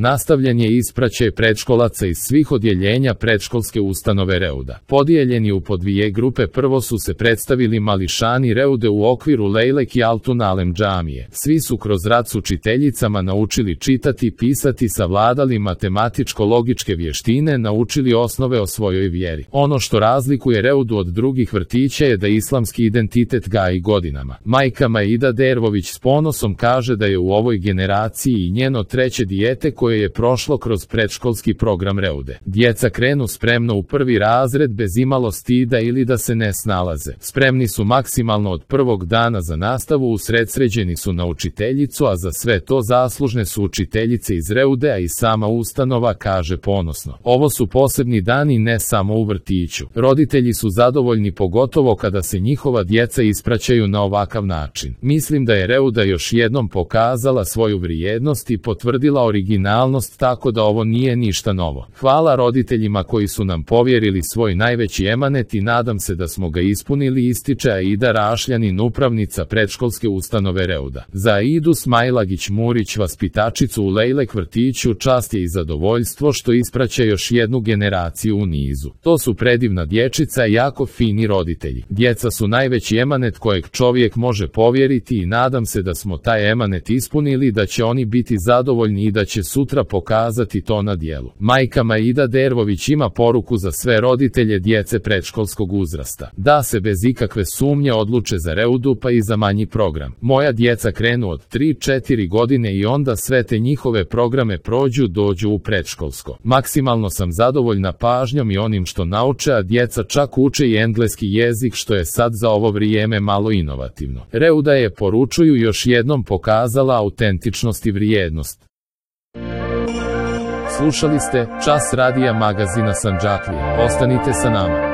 Nastavljen je ispraćaj predškolaca iz svih odjeljenja predškolske ustanove Reuda. Podijeljeni u po dvije grupe, prvo su se predstavili mališani Reude u okviru Lejlek i Altun Alem džamije. Svi su kroz rad s učiteljicama naučili čitati, pisati, savladali matematičko-logičke vještine, naučili osnove o svojoj vjeri. Ono što razlikuje Reudu od drugih vrtića je da islamski identitet gaji godinama. Majka Maida Dervović s ponosom kaže da je u ovoj generaciji i njeno treće dijete koje je prošlo kroz predškolski program Reude. Djeca krenu spremno u prvi razred bez imalo stida ili da se ne snalaze. Spremni su maksimalno od prvog dana za nastavu, usredsređeni su na učiteljicu, a za sve to zaslužne su učiteljice iz Reudea i sama ustanova, kaže ponosno. Ovo su posebni dani ne samo u vrtiću. Roditelji su zadovoljni, pogotovo kada se njihova djeca ispraćaju na ovakav način. Mislim da je Reuda još jednom pokazala svoju vrijednost i potvrdila originalnost, tako da ovo nije ništa novo. Hvala roditeljima koji su nam povjerili svoj najveći emanet i nadam se da smo ga ispunili, ističe Aida Rašljanin, upravnica predškolske ustanove Reuda. Za Aidu Smajlagić-Murić, vaspitačicu u Lejlek vrtiću, čast je i zadovoljstvo što ispraća još jednu generaciju u nizu. To su predivna dječica i jako fini roditelji. Djeca su najveći emanet kojeg čovjek može povjeriti i nadam se da smo taj emanet ispunili, da će oni biti zadovoljni i da će sutra pokazati to na djelu. Majka Maida Dervović ima poruku za sve roditelje djece predškolskog uzrasta. Da se bez ikakve sumnje odluče za Reudu pa i za manji program. Moja djeca krenu od 3-4 godine i onda sve te njihove programe prođu, dođu u predškolsko. Maksimalno sam zadovoljna pažnjom i onim što nauče, a djeca čak uče i engleski jezik, što je sad za ovo vrijeme malo inovativno. Reuda je, poručuju, još jednom pokazala autentičnost i vrijednost. Slušali ste Čas radija magazina Sandžaklija. Ostanite sa nama.